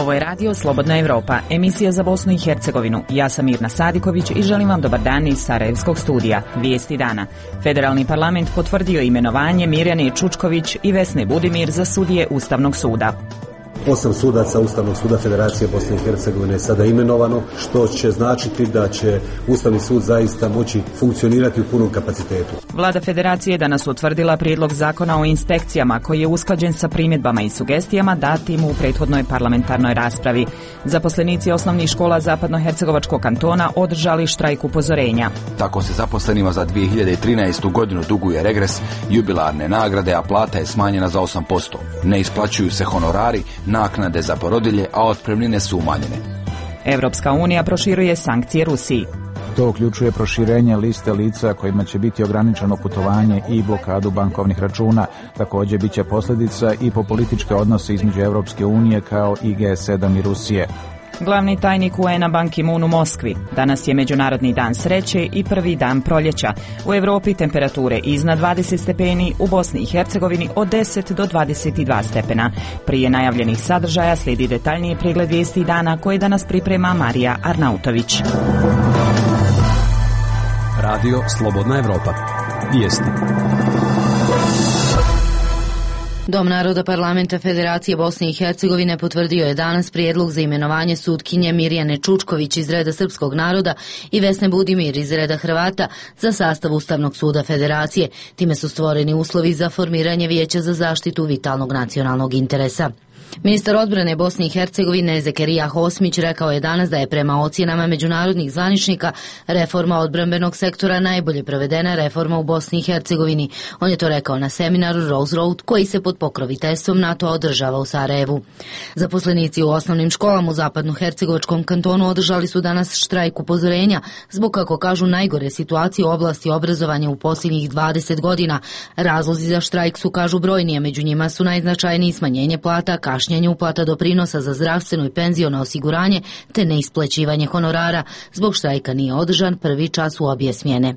Ovo je radio Slobodna Evropa, emisija za Bosnu i Hercegovinu. Ja sam Mirna Sadiković i želim vam dobar dan iz Sarajevskog studija. Vijesti dana. Federalni parlament potvrdio imenovanje Mirjane Čučković i Vesne Budimir za sudije Ustavnog suda. 8 sudaca Ustavnog suda Federacije Bosne i Hercegovine je sada imenovano, što će značiti da će Ustavni sud zaista moći funkcionirati u punom kapacitetu. Vlada Federacije je danas utvrdila prijedlog zakona o inspekcijama koji je usklađen sa primjedbama i sugestijama datim u prethodnoj parlamentarnoj raspravi. Zaposlenici osnovnih škola Zapadnohercegovačkog kantona održali štrajk upozorenja. Tako se zaposlenima za 2013. godinu duguje regres, jubilarne nagrade, a plata je smanjena za 8%. Ne isplaćuju se honorari, naknade za porodilje, a otpremnine su umanjene. Evropska unija proširuje sankcije Rusiji. To uključuje proširenje liste lica kojima će biti ograničeno putovanje i blokadu bankovnih računa. Također bit će posljedica i po političke odnose između Evropske unije kao i G7 i Rusije. Glavni tajnik UN-a Ban Ki-moon u Moskvi. Danas je Međunarodni dan sreće i prvi dan proljeća. U Europi temperature iznad 20 stepeni, u Bosni i Hercegovini od 10 do 22 stepena. Prije najavljenih sadržaja slijedi detaljniji pregled vijesti dana koje danas priprema Marija Arnautović. Radio Slobodna Evropa. Vijesti. Dom naroda Parlamenta Federacije Bosne i Hercegovine potvrdio je danas prijedlog za imenovanje sutkinje Mirjane Čučković iz reda srpskog naroda i Vesne Budimir iz reda Hrvata za sastav Ustavnog suda Federacije. Time su stvoreni uslovi za formiranje Vijeća za zaštitu vitalnog nacionalnog interesa. Ministar odbrane Bosne i Hercegovine Zekerija Hosmić rekao je danas da je prema ocjenama međunarodnih zvaničnika reforma odbrambenog sektora najbolje provedena reforma u Bosni i Hercegovini. On je to rekao na seminaru Rose Road koji se pod pokroviteljstvom NATO održava u Sarajevu. Zaposlenici u osnovnim školama u Zapadnohercegovačkom kantonu održali su danas štrajk upozorenja zbog, kako kažu, najgore situacije u oblasti obrazovanja u posljednjih 20 godina. Razlozi za štrajk su, kažu, brojni, a među njima su najznačajniji smanjenje plata, kašnjenje uplata doprinosa za zdravstveno i penziono osiguranje te neisplaćivanje honorara. Zbog štrajka nije održan prvi čas u obje smjene.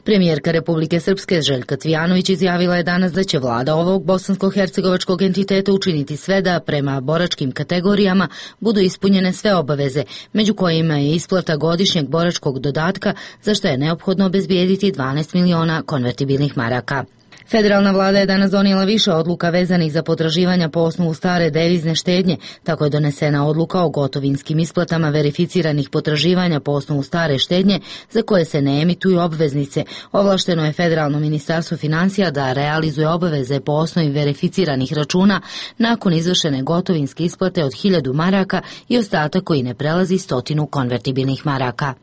Premijerka Republike Srpske Željka Cvijanović izjavila je danas da će vlada ovog bosansko-hercegovačkog entiteta učiniti sve da prema boračkim kategorijama budu ispunjene sve obaveze, među kojima je isplata godišnjeg boračkog dodatka, za što je neophodno obezbijediti 12 miliona konvertibilnih maraka. Federalna vlada je danas donijela više odluka vezanih za potraživanja po osnovu stare devizne štednje. Tako je donesena odluka o gotovinskim isplatama verificiranih potraživanja po osnovu stare štednje za koje se ne emituju obveznice. Ovlašteno je Federalno ministarstvo financija da realizuje obaveze po osnovi verificiranih računa nakon izvršene gotovinske isplate od 1000 maraka i ostatak koji ne prelazi 100 konvertibilnih maraka.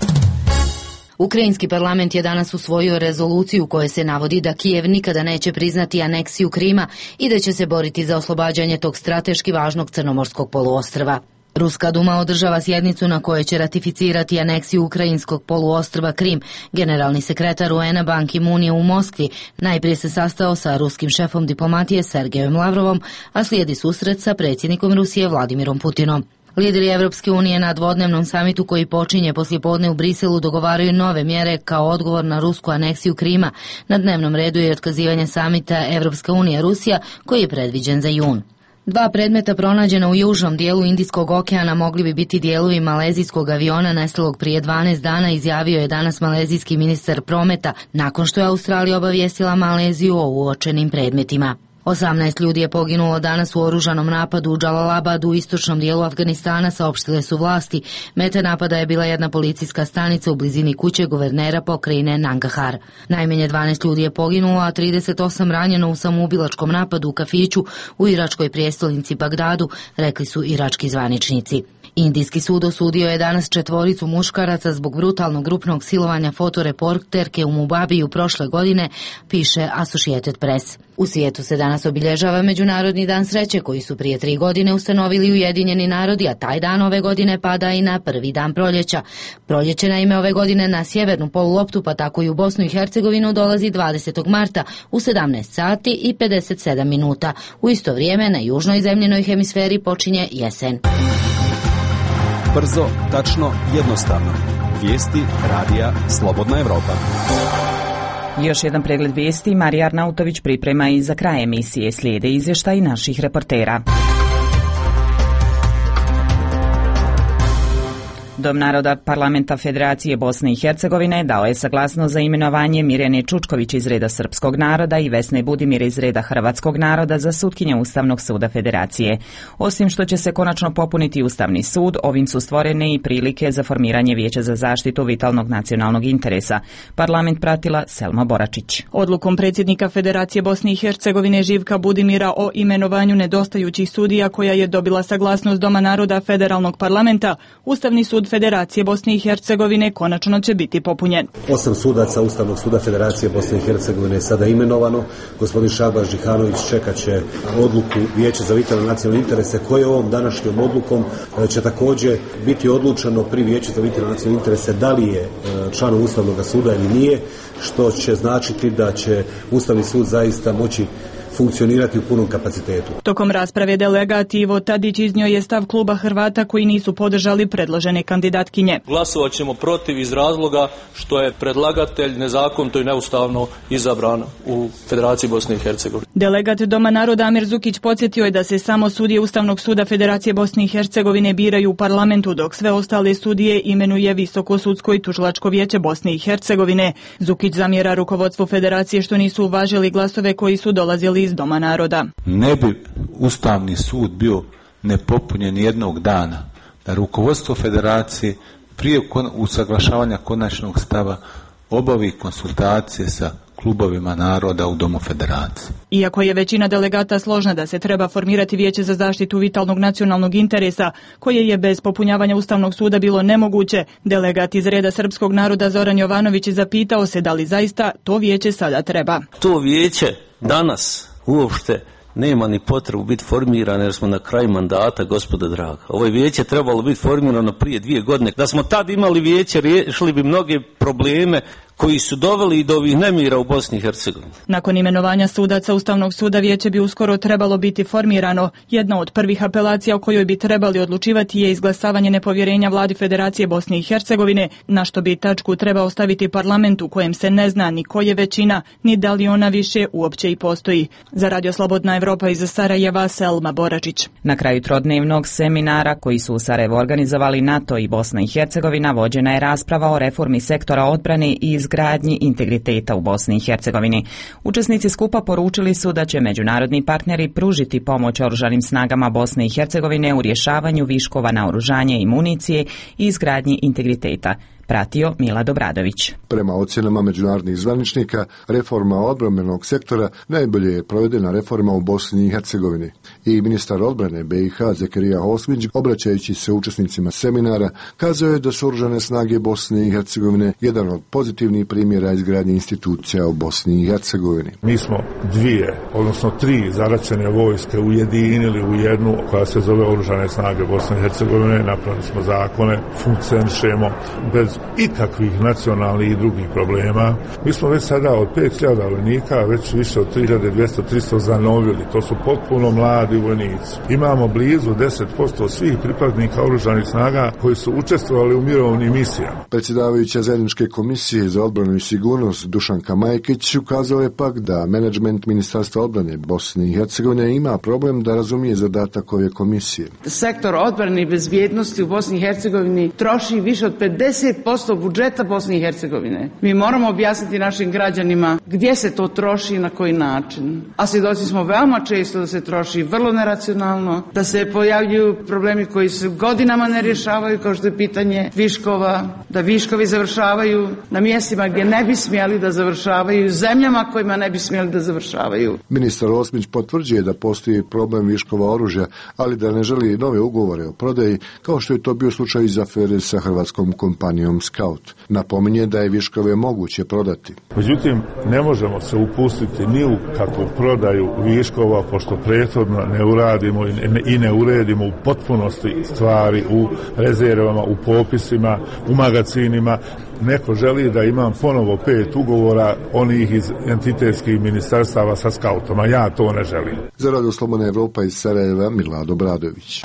Ukrajinski parlament je danas usvojio rezoluciju u kojoj se navodi da Kijev nikada neće priznati aneksiju Krima i da će se boriti za oslobađanje tog strateški važnog crnomorskog poluostrva. Ruska duma održava sjednicu na kojoj će ratificirati aneksiju ukrajinskog poluostrva Krim. Generalni sekretar UN-a Ban Ki-moon je u Moskvi. Najprije se sastao sa ruskim šefom diplomatije Sergejom Lavrovom, a slijedi susret sa predsjednikom Rusije Vladimirom Putinom. Lideri Evropske unije na dvodnevnom samitu koji počinje poslijepodne u Briselu dogovaraju nove mjere kao odgovor na rusku aneksiju Krima. Na dnevnom redu je otkazivanje samita Evropska unija-Rusija koji je predviđen za jun. 2 predmeta pronađena u južnom dijelu Indijskog okeana mogli bi biti dijelovi malezijskog aviona nestalog prije 12 dana, izjavio je danas malezijski ministar prometa nakon što je Australija obavijestila Maleziju o uočenim predmetima. 18 ljudi je poginulo danas u oružanom napadu u Džalalabadu u istočnom dijelu Afganistana, saopštile su vlasti. Meta napada je bila jedna policijska stanica u blizini kuće guvernera pokrajine Nangarhar. Najmanje 12 ljudi je poginulo, a 38 ranjeno u samoubilačkom napadu u kafiću u iračkoj prijestolnici Bagdadu, rekli su irački zvaničnici. Indijski sud osudio je danas 4 muškaraca zbog brutalnog grupnog silovanja fotoreporterke u Mubabiju prošle godine, piše Associated Press. U svijetu se danas obilježava Međunarodni dan sreće koji su prije 3 godine ustanovili Ujedinjeni narodi, a taj dan ove godine pada i na prvi dan proljeća. Proljeće naime ove godine na sjevernu poluloptu, pa tako i u Bosnu i Hercegovinu, dolazi 20. marta u 17 sati i 57 minuta. U isto vrijeme na južnoj zemljenoj hemisferi počinje jesen. Brzo, tačno, jednostavno. Vijesti radija Slobodna Evropa. Još jedan pregled vijesti Marija Arnautović priprema i za kraj emisije. Slijede izvještaji naših reportera. Dom naroda Parlamenta Federacije Bosne i Hercegovine dao je saglasnost za imenovanje Mirjane Čučković iz reda srpskog naroda i Vesne Budimir iz reda hrvatskog naroda za sutkinje Ustavnog suda Federacije. Osim što će se konačno popuniti Ustavni sud, ovim su stvorene i prilike za formiranje Vijeća za zaštitu vitalnog nacionalnog interesa. Parlament pratila Selma Boračić. Odlukom predsjednika Federacije Bosne i Hercegovine Živka Budimira o imenovanju nedostajućih sudija, koja je dobila saglasnost Doma naroda Federalnog parlamenta, Ustavni sud Federacije Bosne i Hercegovine konačno će biti popunjen. 8 sudaca Ustavnog suda Federacije Bosne i Hercegovine je sada imenovano. Gospodin Šabaš Đihanović čekat će odluku Vijeća za vitalne nacionalne interese, koje ovom današnjom odlukom će također biti odlučeno pri Vijeću za vitalne nacionalne interese da li je član Ustavnog suda ili nije, što će značiti da će Ustavni sud zaista moći funkcionirati u punom kapacitetu. Tokom rasprave delegat Ivo Tadić iznio je stav kluba Hrvata koji nisu podržali predložene kandidatkinje. Glasovat ćemo protiv iz razloga što je predlagatelj nezakonito i neustavno izabran u Federaciji Bosne i Hercegovine. Delegat Doma naroda Amir Zukić podsjetio je da se samo sudije Ustavnog suda Federacije Bosne i Hercegovine biraju u parlamentu, dok sve ostale sudije imenuje Visoko sudsko i tužilačko vijeće Bosne i Hercegovine. Zukić zamjera rukovodstvu Federacije što nisu uvažili glasove koji su dolazili iz Doma naroda. Ne bi Ustavni sud bio nepopunjen jednog dana da rukovodstvo Federacije prije usaglašavanja konačnog stava obavi konsultacije sa klubovima naroda u Domu Federacije. Iako je većina delegata složna da se treba formirati Vijeće za zaštitu vitalnog nacionalnog interesa, koje je bez popunjavanja Ustavnog suda bilo nemoguće, delegat iz reda srpskog naroda Zoran Jovanović zapitao se da li zaista to vijeće sada treba. To vijeće danas uopšte nema ni potrebu biti formirano jer smo na kraju mandata, gospoda draga. Ovo vijeće trebalo biti formirano prije 2 godine. Da smo tad imali vijeće, riješili bi mnoge probleme koji su doveli i do ovih nemira u Bosni i Hercegovini. Nakon imenovanja sudaca Ustavnog suda vijeće bi uskoro trebalo biti formirano. Jedna od prvih apelacija o kojoj bi trebali odlučivati je izglasavanje nepovjerenja vladi Federacije Bosne i Hercegovine, na što bi tačku trebao staviti parlament u kojem se ne zna ni ko je većina, ni da li ona više uopće i postoji. Za Radio Slobodna Evropa iz Sarajeva, Selma Boračić. Na kraju trodnevnog seminara koji su u Sarajevu organizovali NATO i Bosna i Hercegovina vođena je rasprava o reformi sektora odbrane i izgradnji integriteta u Bosni i Hercegovini. Učesnici skupa poručili su da će međunarodni partneri pružiti pomoć oružanim snagama Bosne i Hercegovine u rješavanju viškova naoružanja i municije i izgradnji integriteta. Pratio Mila Dobradović. Prema ocjenama međunarodnih zvaničnika, reforma odbrambenog sektora najbolje je provedena reforma u Bosni i Hercegovini. I ministar odbrane BiH Zekerija Osmić, obraćajući se učesnicima seminara, kazao je da su oružane snage Bosne i Hercegovine jedan od pozitivnih primjera izgradnje institucija u Bosni i Hercegovini. Mi smo 3 zaraćene vojske ujedinili u jednu koja se zove Oružane snage Bosne i Hercegovine, napravili smo zakone, funkcionišemo bez ikakvih nacionalnih i drugih problema. Mi smo već sada od 5.000 vojnika, već više od 3.200-300 zanovili. To su potpuno mladi vojnici. Imamo blizu 10% svih pripadnika oružanih snaga koji su učestvovali u mirovnim misijama. Predsjedavajuća zajedničke komisije za odbranu i sigurnost Dušanka Majkić ukazao je pak da menadžment Ministarstva odbrane Bosne i Hercegovine ima problem da razumije zadatak ove komisije. Sektor odbrane i bezbjednosti u Bosni i Hercegovini troši više od 50% budžeta Bosne i Hercegovine. Mi moramo objasniti našim građanima gdje se to troši i na koji način. A svjedoci smo veoma često da se troši vrlo neracionalno, da se pojavljuju problemi koji se godinama ne rješavaju, kao što je pitanje viškova, da viškovi završavaju na mjestima gdje ne bi smjeli da završavaju, zemljama kojima ne bi smjeli da završavaju. Ministar Osmić potvrđuje da postoji problem viškova oružja, ali da ne želi nove ugovore o prodaji, kao što je to bio slučaj iz afere sa hrvatskom kompanijom Scout. Napominje da je viškove moguće prodati. Međutim, ne možemo se upustiti ni u kakvu prodaju viškova, pošto prethodno ne uradimo i ne uredimo u potpunosti stvari u rezervama, u popisima, u magacinima. Neko želi da imam ponovo 5 ugovora onih iz entitetskih ministarstava sa Scoutom, a ja to ne želim. Za Radio Slobodna Evropa iz Sarajeva, Milado Bradović.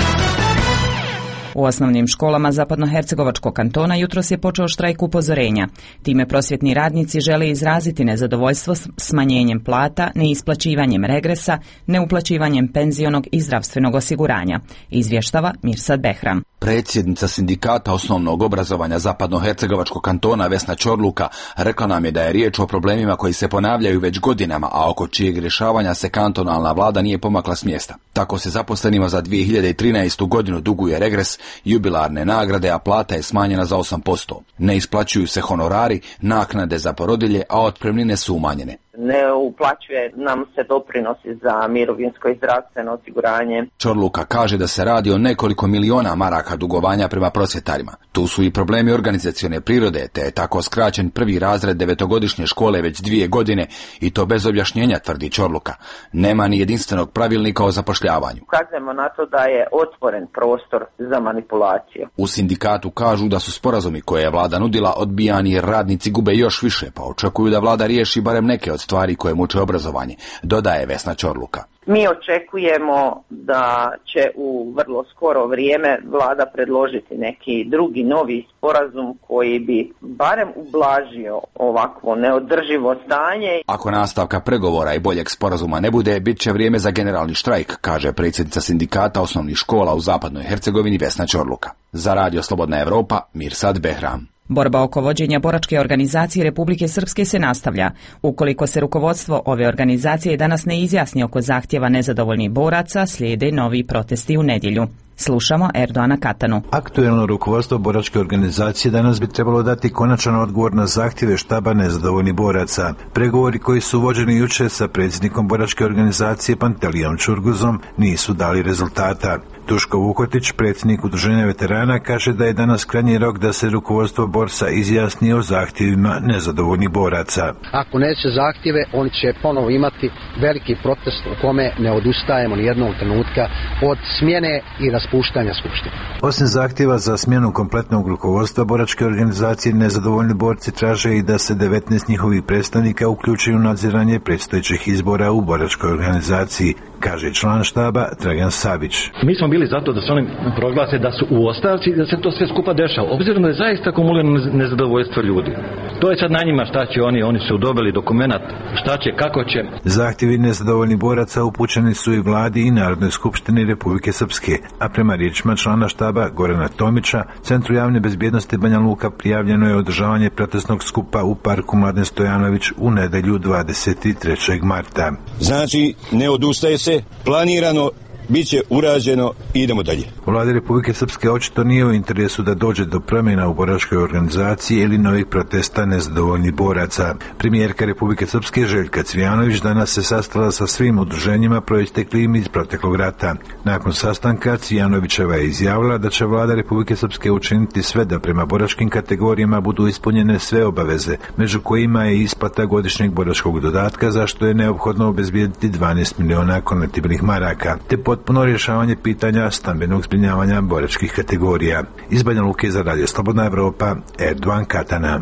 U osnovnim školama Zapadnohercegovačkog kantona jutros je počeo štrajk upozorenja. Time prosvjetni radnici žele izraziti nezadovoljstvo smanjenjem plata, neisplaćivanjem regresa, neuplaćivanjem penzionog i zdravstvenog osiguranja, izvještava Mirsad Behram. Predsjednica sindikata osnovnog obrazovanja Zapadnohercegovačkog kantona Vesna Čorluka rekla nam je da je riječ o problemima koji se ponavljaju već godinama, a oko čijeg rješavanja se kantonalna vlada nije pomakla s mjesta. Tako se zaposlenima za 2013. godinu duguje regres, jubilarne nagrade, a plata je smanjena za 8%. Ne isplaćuju se honorari, naknade za porodilje, a otpremnine su umanjene. Ne uplaćuje nam se doprinosi za mirovinsko i zdravstveno osiguranje. Čorluka kaže da se radi o nekoliko miliona maraka dugovanja prema prosvjetarima. Tu su i problemi organizacione prirode, te je tako skraćen prvi razred 9-godišnje škole već 2 godine i to bez objašnjenja, tvrdi Čorluka. Nema ni jedinstvenog pravilnika o zapošljavanju. Ukazujemo na to da je otvoren prostor za manipulaciju. U sindikatu kažu da su sporazumi koje je vlada nudila odbijani jer radnici gube još više, pa očekuju da vlada riješi barem neke od stvari koje muče obrazovanje, dodaje Vesna Čorluka. Mi očekujemo da će u vrlo skoro vrijeme vlada predložiti neki drugi novi sporazum koji bi barem ublažio ovakvo neodrživo stanje. Ako nastavka pregovora i boljeg sporazuma ne bude, bit će vrijeme za generalni štrajk, kaže predsjednica sindikata osnovnih škola u Zapadnoj Hercegovini Vesna Čorluka. Za Radio Slobodna Evropa, Mirsad Behram. Borba oko vođenja boračke organizacije Republike Srpske se nastavlja. Ukoliko se rukovodstvo ove organizacije danas ne izjasni oko zahtjeva nezadovoljnih boraca, slijede novi protesti u nedjelju. Slušamo Erdoana Katanu. Aktuelno rukovodstvo boračke organizacije danas bi trebalo dati konačan odgovor na zahtjeve štaba nezadovoljnih boraca. Pregovori koji su vođeni jučer sa predsjednikom boračke organizacije Pantelijom Čurguzom nisu dali rezultata. Duško Vukotić, predsjednik Udruženja veterana, kaže da je danas krajnji rok da se rukovodstvo borsa izjasni o zahtjevima nezadovoljnih boraca. Ako neće zahtjeve, oni će ponovo imati veliki protest u kome ne odustajemo ni jednog trenutka od smjene i raspuštanja skupštine. Osim zahtjeva za smjenu kompletnog rukovodstva boračke organizacije, nezadovoljni borci traže i da se 19 njihovih predstavnika uključuju u nadziranje predstojećih izbora u boračkoj organizaciji, kaže član štaba Dragan Savić. Mi smo bili zato da se oni proglase da su u ostavci i da se to sve skupa dešava, obzirom da je zaista akumulirano nezadovoljstvo ljudi. To je sad na njima šta će oni su dobili dokumenat, šta će, kako će. Zahtjevi nezadovoljnih boraca upućeni su i vladi i Narodnoj skupštini Republike Srpske, a prema riječima člana štaba Gorana Tomića, Centru javne bezbjednosti Banja Luka prijavljeno je održavanje protestnog skupa u parku Mladen Stojanović u nedjelju 23. marta. Znači, ne odustaje se, planirano, bit će urađeno i idemo dalje. Vladi Republike Srpske očito nije u interesu da dođe do promjena u boračkoj organizaciji ili novih protesta nezadovoljnih boraca. Premijerka Republike Srpske Željka Cvijanović danas se sastala sa svim udruženjima proisteklim iz proteklog rata. Nakon sastanka Cvijanovićeva je izjavila da će vlada Republike Srpske učiniti sve da prema boračkim kategorijama budu ispunjene sve obaveze, među kojima je isplata godišnjeg boračkog dodatka, za što je neophodno obezbijediti 12 miliona konvertibilnih maraka, te potpuno rješavanje pitanja stambenog zbrinjavanja boračkih kategorija. Iz Banja Luke za Radio Slobodna Evropa, Erdoan Katana.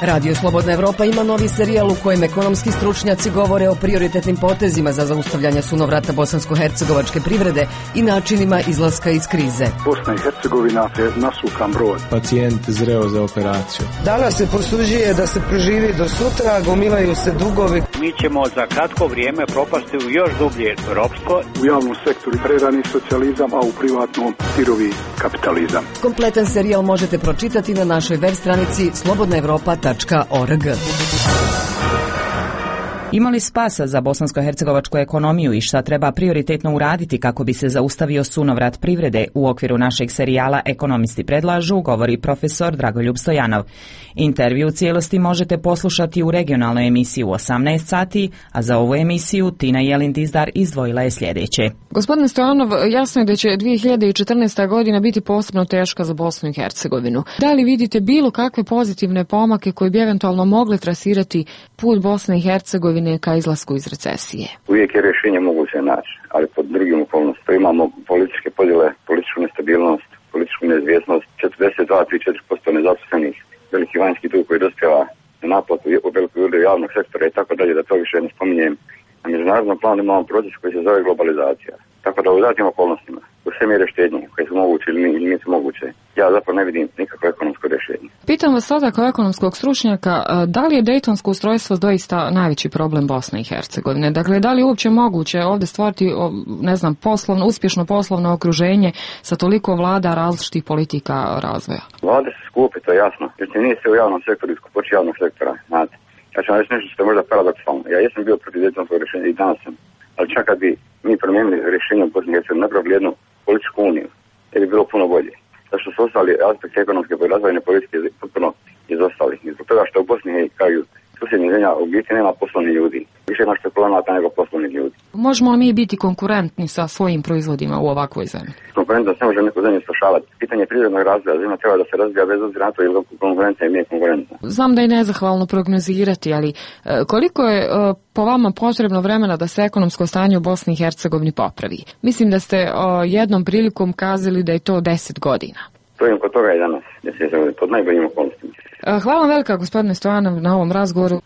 Radio Slobodna Evropa ima novi serijal u kojem ekonomski stručnjaci govore o prioritetnim potezima za zaustavljanje sunovrata bosansko-hercegovačke privrede i načinima izlaska iz krize. Bosna i Hercegovina je nasukan brod. Pacijent zreo za operaciju. Danas se posuđuje da se preživi do sutra, gomilaju se dugovi. Mi ćemo za kratko vrijeme propasti u još dublje ropstvo. U javnom sektoru prerani socijalizam, a u privatnom sirovi kapitalizam. Kompletan serijal možete pročitati na našoj web stranici slobodnaevropa.org. Ima li spasa za bosansko-hercegovačku ekonomiju i šta treba prioritetno uraditi kako bi se zaustavio sunovrat privrede? U okviru našeg serijala Ekonomisti predlažu, govori profesor Dragoljub Stojanov. Intervju u cijelosti možete poslušati u regionalnoj emisiji u 18 sati, a za ovu emisiju Tina Jelin-Dizdar izdvojila je sljedeće. Gospodine Stojanov, jasno je da će 2014. godina biti posebno teška za Bosnu i Hercegovinu. Da li vidite bilo kakve pozitivne pomake koji bi eventualno mogli trasirati put Bosne i Hercegovine ka izlasku iz recesije? Uvijek je rješenje moguće naći, ali pod drugim okolnostima. Imamo političke podjele, političku nestabilnost, političku neizvjesnost, 42-4% nezaposlenih, veliki vanjski dug koji dospjeva na naplatu u velikoj udio javnog sektora i tako dalje, da to više ne spominjem. Na međunarodnom planu imamo proces koji se zove globalizacija. Tako da u datim okolnostima, u sve mjere štednje koje su moguće ili nisu moguće, ja zapravo ne vidim nikakvo ekonomsko rješenje. Pitam vas sada kao ekonomskog stručnjaka, da li je dejtonsko ustrojstvo doista najveći problem Bosne i Hercegovine? Dakle, da li je uopće moguće ovdje stvoriti, ne znam, uspješno poslovno okruženje sa toliko vlada različitih politika razvoja? Vlade se skupi, to je jasno. Jer nije se u javnom sektoru iskupoći javnog sektora, znate. Ja ću vam reći nešto što je možda paradoksalno. Ja jesam bio protiv dejtonskog rješenja i danas sam. Ali čak kad bi mi promijenili rješenje u Bosni i Hercegovini, napravili jednu političku uniju, jer bi bilo puno bolje. Zato što su ostali aspekti ekonomske i razvojne politike potpuno izostali. I zbog toga što u Bosni i kao susjednih zemlja u biti nema poslovnih ljudi. Više ima špekulanata nego poslovnih ljudi. Možemo li mi biti konkurentni sa svojim proizvodima u ovakvoj zemlji? Konkurentnost ne može neku zemlju spašavati. Pitanje prirodnog razvoja zemlja treba da se razvija bez obzira na to ili konkurencija i nije konkurentna. Znam da je nezahvalno prognozirati, ali koliko je po vama potrebno vremena da se ekonomsko stanje u Bosni i Hercegovini popravi? Mislim da ste jednom prilikom kazali da je to 10 godina. Stojim kod toga i danas, pod najboljim okolnostima. Hvala vam velika, gospodine Stojanov, na ovom razgovoru.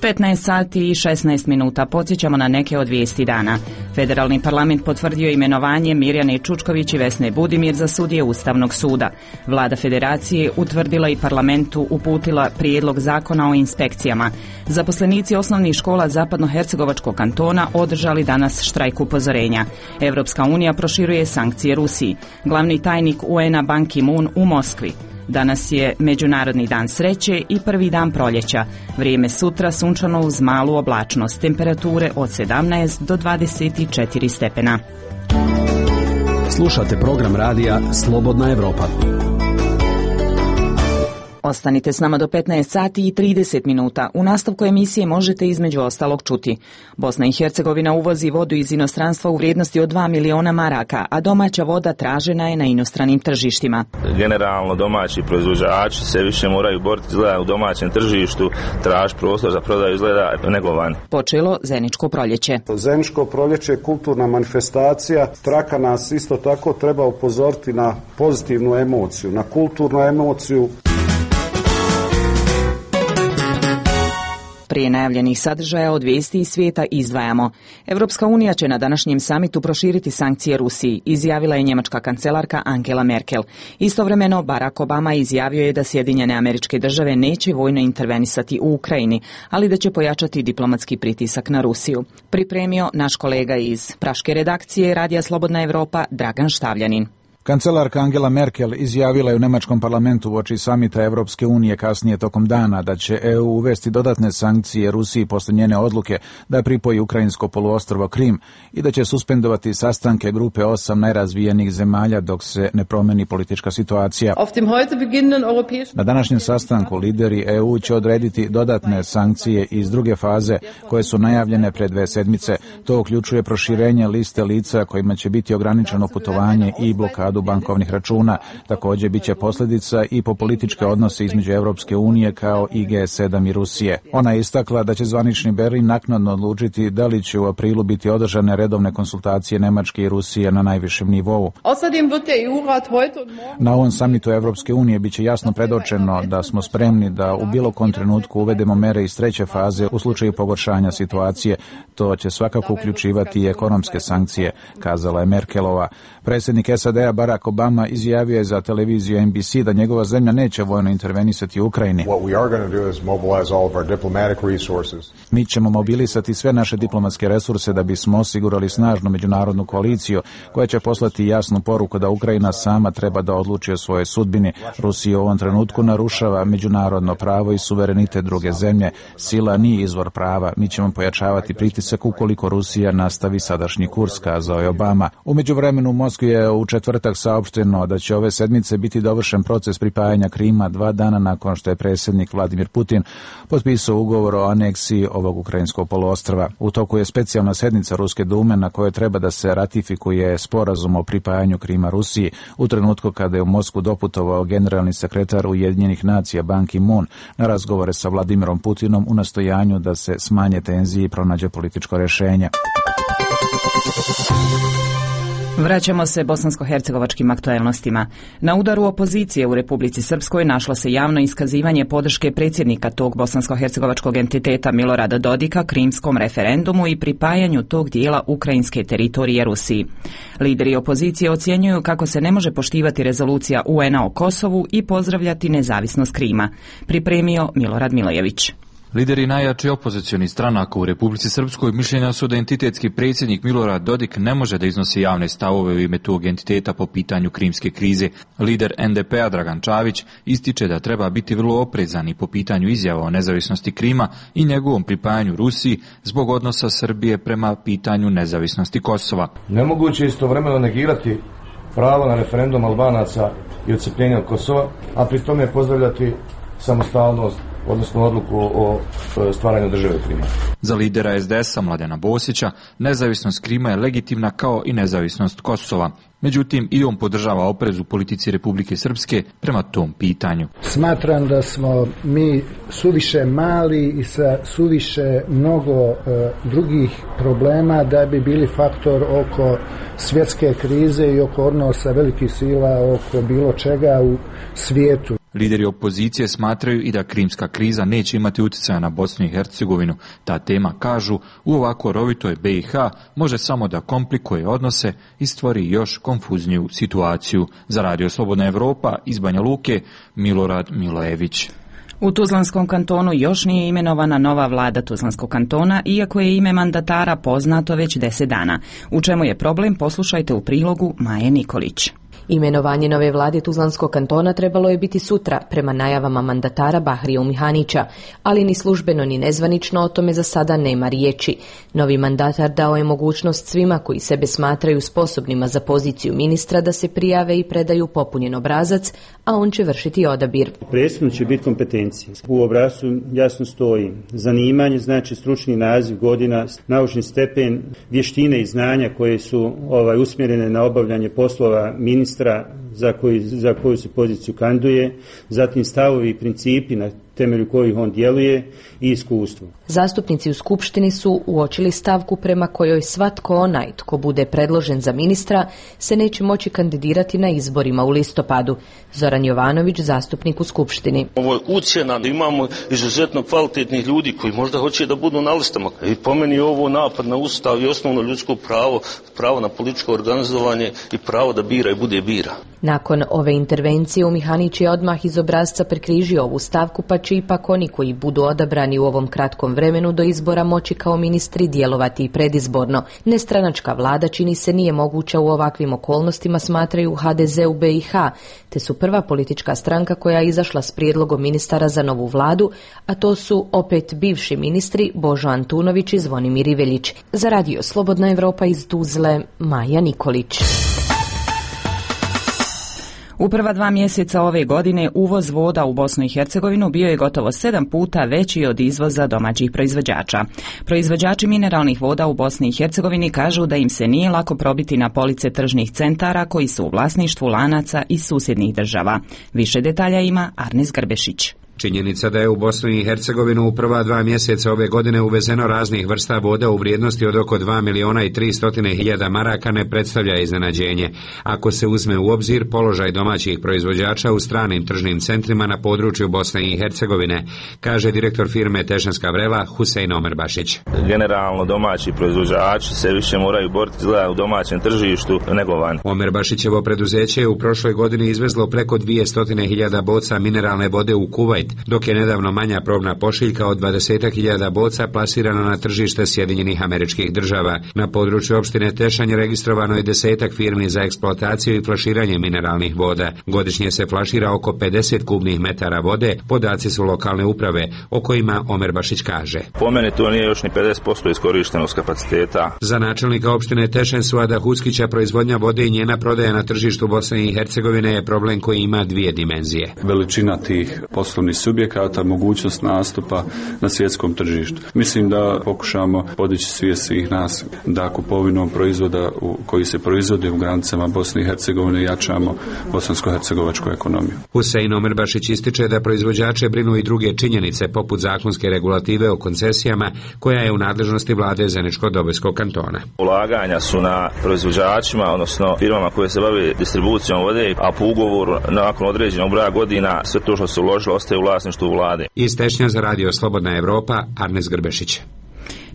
15 sati i 16 minuta. Podsjećamo na neke od vijesti dana. Federalni parlament potvrdio imenovanje Mirjane Čučković i Vesne Budimir za sudije Ustavnog suda. Vlada Federacije utvrdila i parlamentu uputila prijedlog zakona o inspekcijama. Zaposlenici osnovnih škola Zapadnohercegovačkog kantona održali danas štrajk upozorenja. Evropska unija proširuje sankcije Rusiji. Glavni tajnik UN-a Ban Ki-moon u Moskvi. Danas je Međunarodni dan sreće i prvi dan proljeća. Vrijeme sutra sunčano uz malu oblačnost. Temperature od 17 do 24 stepena. Slušate program radija Slobodna Evropa. Ostanite s nama do 15 sati i 30 minuta. U nastavku emisije možete između ostalog čuti. Bosna i Hercegovina uvozi vodu iz inostranstva u vrijednosti od 2 miliona maraka, a domaća voda tražena je na inostranim tržištima. Generalno domaći proizvođači se više moraju boriti izgleda u domaćem tržištu, traži prostor za prodaju izgleda nego vani. Počelo Zeničko proljeće. Zeničko proljeće je kulturna manifestacija. Traka nas isto tako treba upozoriti na pozitivnu emociju, na kulturnu emociju. Prije najavljenih sadržaja od vijesti iz svijeta izdvajamo. Evropska unija će na današnjem samitu proširiti sankcije Rusiji, izjavila je njemačka kancelarka Angela Merkel. Istovremeno, Barack Obama izjavio je da Sjedinjene Američke Države neće vojno intervenisati u Ukrajini, ali da će pojačati diplomatski pritisak na Rusiju. Pripremio naš kolega iz praške redakcije Radija Slobodna Evropa, Dragan Štavljanin. Kancelarka Angela Merkel izjavila je u nemačkom parlamentu uoči samita Evropske unije kasnije tokom dana da će EU uvesti dodatne sankcije Rusiji posle njene odluke da pripoji ukrajinsko poluostrvo Krim i da će suspendovati sastanke grupe 8 najrazvijenijih zemalja dok se ne promeni politička situacija. Na današnjem sastanku lideri EU će odrediti dodatne sankcije iz druge faze koje su najavljene pred 2 sedmice. To uključuje proširenje liste lica kojima će biti ograničeno putovanje i blokadu bankovnih računa. Također biće posljedica i po političke odnose između Europske unije kao i G7 i Rusije. Ona je istakla da će zvanični Berlin naknadno odlučiti da li će u aprilu biti održane redovne konsultacije Nemačke i Rusije na najvišem nivou. Na ovom samitu Europske unije biće jasno predočeno da smo spremni da u bilo kom trenutku uvedemo mere iz treće faze u slučaju pogoršanja situacije. To će svakako uključivati i ekonomske sankcije, kazala je Merkelova. Predsjednik SAD-a Barack Obama izjavio je za televiziju NBC da njegova zemlja neće vojno intervenisati u Ukrajini. Mi ćemo mobilisati sve naše diplomatske resurse da bismo osigurali snažnu međunarodnu koaliciju koja će poslati jasnu poruku da Ukrajina sama treba da odluči o svojoj sudbini. Rusija u ovom trenutku narušava međunarodno pravo i suverenitet druge zemlje. Sila nije izvor prava. Mi ćemo pojačavati pritisak ukoliko Rusija nastavi sadašnji kurs, kazao je Obama. U međuvremenu u Moskvi je u četvrtak saopšteno da će ove sedmice biti dovršen proces pripajanja Krima 2 dana nakon što je predsjednik Vladimir Putin potpisao ugovor o aneksiji ovog ukrajinskog poluostrva. U toku je specijalna sednica Ruske dume na kojoj treba da se ratifikuje sporazum o pripajanju Krima Rusiji u trenutku kada je u Moskvu doputovao generalni sekretar Ujedinjenih nacija Ban Ki-moon na razgovore sa Vladimirom Putinom u nastojanju da se smanje tenzije i pronađe političko rješenje. Vraćamo se bosansko-hercegovačkim aktuelnostima. Na udaru opozicije u Republici Srpskoj našlo se javno iskazivanje podrške predsjednika tog bosansko-hercegovačkog entiteta Milorada Dodika krimskom referendumu i pripajanju tog dijela ukrajinske teritorije Rusiji. Lideri opozicije ocjenjuju kako se ne može poštivati rezolucija UN-a o Kosovu i pozdravljati nezavisnost Krima. Pripremio Milorad Milojević. Lideri najjačih opozicionih stranaka u Republici Srpskoj mišljenja su da entitetski predsjednik Milorad Dodik ne može da iznosi javne stavove u ime tog entiteta po pitanju krimske krize. Lider NDP-a Dragan Čavić ističe da treba biti vrlo oprezan i po pitanju izjava o nezavisnosti Krima i njegovom pripajanju Rusiji zbog odnosa Srbije prema pitanju nezavisnosti Kosova. Nemoguće je istovremeno negirati pravo na referendum Albanaca i odcepljenje od Kosova, a pri tome pozdravljati samostalnost, odnosno odluku o stvaranju države Krima. Za lidera SDS-a Mladena Bosića, nezavisnost Krima je legitimna kao i nezavisnost Kosova. Međutim, i on podržava oprez u politici Republike Srpske prema tom pitanju. Smatram da smo mi suviše mali i sa suviše mnogo drugih problema da bi bili faktor oko svjetske krize i oko odnosa velikih sila oko bilo čega u svijetu. Lideri opozicije smatraju i da krimska kriza neće imati utjecaja na Bosnu i Hercegovinu. Ta tema, kažu, u ovako rovitoj BiH može samo da komplikuje odnose i stvori još konfuzniju situaciju. Za Radio Slobodna Evropa iz Banja Luke, Milorad Milojević. U Tuzlanskom kantonu još nije imenovana nova vlada Tuzlanskog kantona, iako je ime mandatara poznato već 10 dana. U čemu je problem, poslušajte u prilogu Maje Nikolić. Imenovanje nove vlade Tuzlanskog kantona trebalo je biti sutra, prema najavama mandatara Bahrija Umihanića, ali ni službeno ni nezvanično o tome za sada nema riječi. Novi mandatar dao je mogućnost svima koji sebe smatraju sposobnima za poziciju ministra da se prijave i predaju popunjen obrazac, a on će vršiti odabir. Presudno će biti kompetencije. U obrascu jasno stoji zanimanje, znači stručni naziv, godina, naučni stepen, vještine i znanja koje su usmjerene na obavljanje poslova ministra za koju se poziciju kandiduje, zatim stavovi i principi na temelju kojih on djeluje i iskustvo. Zastupnici u Skupštini su uočili stavku prema kojoj svatko onaj tko bude predložen za ministra se neće moći kandidirati na izborima u listopadu. Zoran Jovanović, zastupnik u Skupštini. Ovo je ucjena da imamo izuzetno kvalitetnih ljudi koji možda hoće da budu na listama. I po meni je ovo napad na Ustav i osnovno ljudsko pravo na političko organizovanje i pravo da bira i bude bira. Nakon ove intervencije Umihanić je odmah iz obrasca prekrižio ovu stavku, pa će ipak oni koji budu odabrani u ovom kratkom vremenu do izbora moći kao ministri djelovati i predizborno. Nestranačka vlada čini se nije moguća u ovakvim okolnostima, smatraju HDZ u BiH, te su prva politička stranka koja je izašla s prijedlogom ministara za novu vladu, a to su opet bivši ministri Božo Antunović i Zvonimir Iveljić. Za Radio Slobodna Evropa iz Tuzle, Maja Nikolić. U prva 2 mjeseca ove godine uvoz voda u Bosnu i Hercegovinu bio je gotovo 7 puta veći od izvoza domaćih proizvođača. Proizvođači mineralnih voda u Bosni i Hercegovini kažu da im se nije lako probiti na police tržnih centara koji su u vlasništvu lanaca iz susjednih država. Više detalja ima Arnes Grbešić. Činjenica da je u Bosnu i Hercegovinu u prva 2 mjeseca ove godine uvezeno raznih vrsta voda u vrijednosti od oko 2.300.000 maraka ne predstavlja iznenađenje. Ako se uzme u obzir položaj domaćih proizvođača u stranim tržnim centrima na području Bosne i Hercegovine, kaže direktor firme Tešanska vrela Husein Omerbašić. Generalno domaći proizvođači se više moraju boriti u domaćem tržištu nego van. Omerbašićevo preduzeće je u prošloj godini izvezlo preko 200.000 boca mineralne vode u Kuvajt, dok je nedavno manja probna pošiljka od 20.000 boca plasirana na tržište Sjedinjenih Američkih Država. Na području opštine Tešanj registrovano je 10 firmi za eksploataciju i flaširanje mineralnih voda. Godišnje se flašira oko 50 kubnih metara vode, podaci su lokalne uprave, o kojima Omerbašić kaže. Po meni to nije još ni 50% iskorištenost kapaciteta. Za načelnika opštine Tešanj Suada Huskića proizvodnja vode i njena prodaja na tržištu Bosne i Hercegovine je problem koji ima 2 dimenzije. Veličina tih poslovnih subjekata mogućnost nastupa na svjetskom tržištu. Mislim da pokušamo podići svijest svih nas da kupovinom proizvoda koji se proizvode u granicama Bosne i Hercegovine jačamo bosansko-hercegovačku ekonomiju. Husein Omerbašić ističe da proizvođače brinu i druge činjenice poput zakonske regulative o koncesijama koja je u nadležnosti vlade Zeničko-Dobojskog kantona. Ulaganja su na proizvođačima, odnosno firmama koje se bave distribucijom vode, a po ugovoru nakon određenog broja godina sve to što se uložilo ostaje u vlasništvu vlade. Iz Tešnja za Radio Slobodna Evropa, Arnes Grbešić.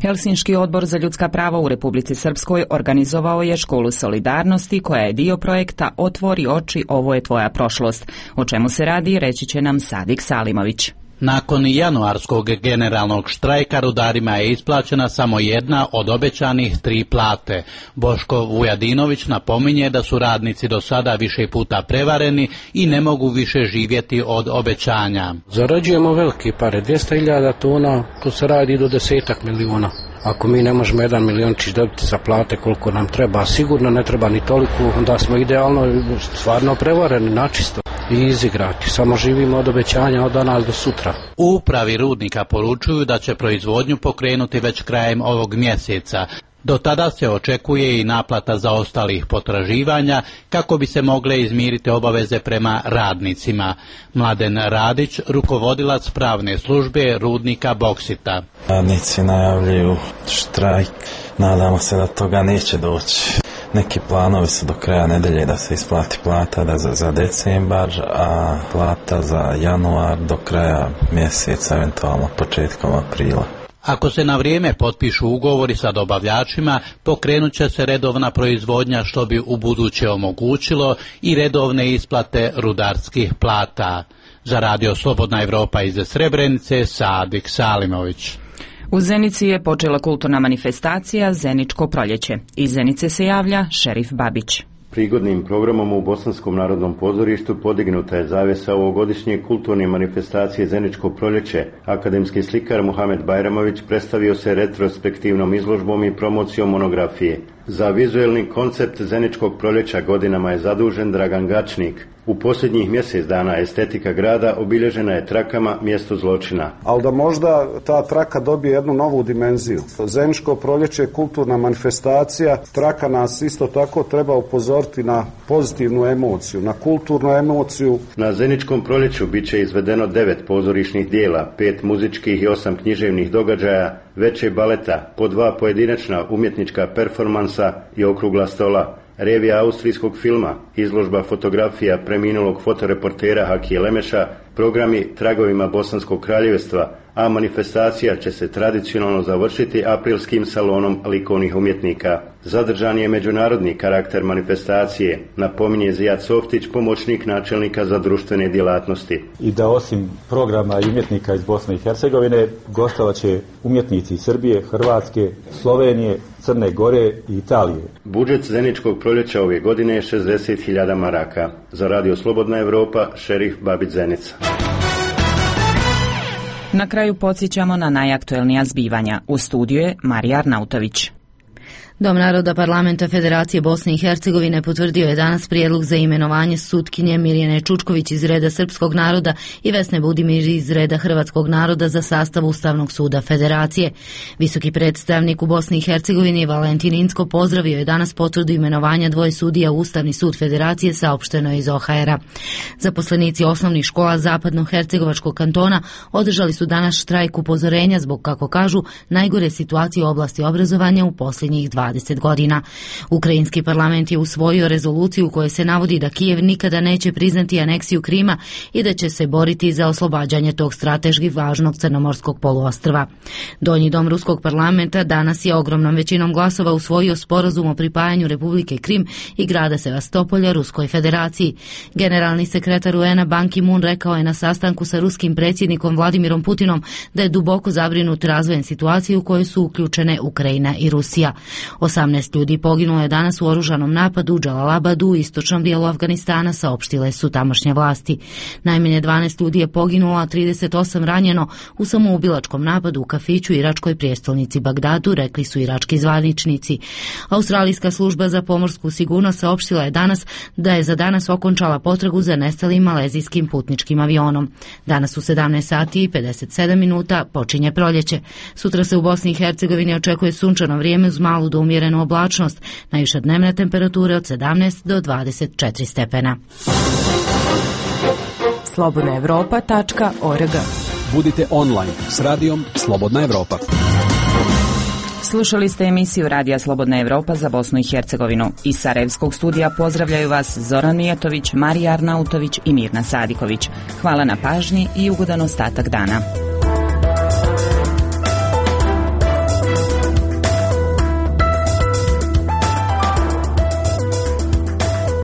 Helsinški odbor za ljudska prava u Republici Srpskoj organizovao je školu solidarnosti koja je dio projekta Otvori oči, ovo je tvoja prošlost. O čemu se radi, reći će nam Sadik Salimović. Nakon januarskog generalnog štrajka rudarima je isplaćena samo jedna od obećanih 3 plate. Boško Vujadinović napominje da su radnici do sada više puta prevareni i ne mogu više živjeti od obećanja. Zarađujemo velike pare, 200.000 tona, to se radi do 10 miliona. Ako mi ne možemo 1 miliončić dobiti za plate koliko nam treba, sigurno ne treba ni toliko, onda smo idealno stvarno prevareni načisto i izigrati. Samo živimo od obećanja od danas do sutra. U upravi rudnika poručuju da će proizvodnju pokrenuti već krajem ovog mjeseca. Do tada se očekuje i naplata zaostalih potraživanja kako bi se mogle izmiriti obaveze prema radnicima. Mladen Radić, rukovodilac pravne službe rudnika Boksita. Radnici najavljuju štrajk, nadamo se da toga neće doći. Neki planovi su do kraja nedelje da se isplati plata za decembar, a plata za januar do kraja mjeseca, eventualno početkom aprila. Ako se na vrijeme potpišu ugovori sa dobavljačima, pokrenut će se redovna proizvodnja što bi u buduće omogućilo i redovne isplate rudarskih plata. Za Radio Slobodna Evropa iz Srebrenice, Sadik Salimović. U Zenici je počela kulturna manifestacija Zeničko proljeće. Iz Zenice se javlja Šerif Babić. Prigodnim programom u Bosanskom narodnom pozorištu podignuta je zavjesa ovogodišnje kulturne manifestacije Zeničko proljeće. Akademski slikar Muhamed Bajramović predstavio se retrospektivnom izložbom i promocijom monografije. Za vizuelni koncept Zeničkog proljeća godinama je zadužen Dragan Gačnik. U posljednjih mjesec dana estetika grada obilježena je trakama mjesto zločina. Ali da možda ta traka dobije jednu novu dimenziju. Zeničko proljeće je kulturna manifestacija. Traka nas isto tako treba upozoriti na pozitivnu emociju, na kulturnu emociju. Na Zeničkom proljeću bit će izvedeno 9 pozorišnih dijela, 5 muzičkih i 8 književnih događaja, veće baleta, po 2 pojedinačna umjetnička performansa i okrugla stola. Revija austrijskog filma, izložba fotografija preminulog fotoreportera Hakije Lemeša, programi Tragovima Bosanskog kraljevstva, a manifestacija će se tradicionalno završiti aprilskim salonom likovnih umjetnika. Zadržan je međunarodni karakter manifestacije, napominje Zijad Softić, pomoćnik načelnika za društvene djelatnosti. I da osim programa i umjetnika iz Bosne i Hercegovine, gostovat će umjetnici iz Srbije, Hrvatske, Slovenije, Crne Gore i Italije. Budžet Zeničkog proljeća ove godine je 60.000 maraka. Za Radio Slobodna Evropa, Šerif Babić, Zenica. Na kraju podsjećamo na najaktuelnija zbivanja. U studiju je Marija Arnautović. Dom naroda Parlamenta Federacije Bosne i Hercegovine potvrdio je danas prijedlog za imenovanje sutkinje Mirjane Čučković iz reda Srpskog naroda i Vesne Budimir iz reda Hrvatskog naroda za sastav Ustavnog suda Federacije. Visoki predstavnik u Bosni i Hercegovini Valentin Incko pozdravio je danas potvrdu imenovanja 2 sudija u Ustavni sud Federacije, saopšteno iz OHR-a. Zaposlenici osnovnih škola Zapadno-Hercegovačkog kantona održali su danas štrajk upozorenja zbog, kako kažu, najgore situacije u oblasti obrazovanja u posljednjih 20 godina. Ukrajinski parlament je usvojio rezoluciju u kojoj se navodi da Kijev nikada neće priznati aneksiju Krima i da će se boriti za oslobađanje tog strateški važnog crnomorskog poluostrva. Donji dom ruskog parlamenta danas je ogromnom većinom glasova usvojio sporazum o pripajanju Republike Krim i grada Sevastopolja Ruskoj federaciji. Generalni sekretar UN-a Ban Ki-moon rekao je na sastanku sa ruskim predsjednikom Vladimirom Putinom da je duboko zabrinut razvojem situacije u kojoj su uključene Ukrajina i Rusija. 18 ljudi poginulo je danas u oružanom napadu u Džalalabadu u istočnom dijelu Afganistana, saopštile su tamošnje vlasti. Najmanje 12 ljudi je poginulo, a 38 ranjeno u samoubilačkom napadu u kafiću u iračkoj prijestolnici Bagdadu, rekli su irački zvaničnici. Australijska služba za pomorsku sigurnost saopštila je danas da je za danas okončala potragu za nestalim malezijskim putničkim avionom. Danas u 17 sati i 57 minuta počinje proljeće. Sutra se u Bosni i Hercegovini očekuje sunčano vrijeme uz malu do umjerenu oblačnost, najviša dnevna temperatura od 17 do 24 stepena. slobodnaevropa.org. Budite online s radijom Slobodna Evropa. Slušali ste emisiju Radija Slobodna Evropa za Bosnu i Hercegovinu. Iz Sarajevskog studija pozdravljaju vas Zoran Mijatović, Marija Arnautović i Mirna Sadiković. Hvala na pažnji i ugodan ostatak dana.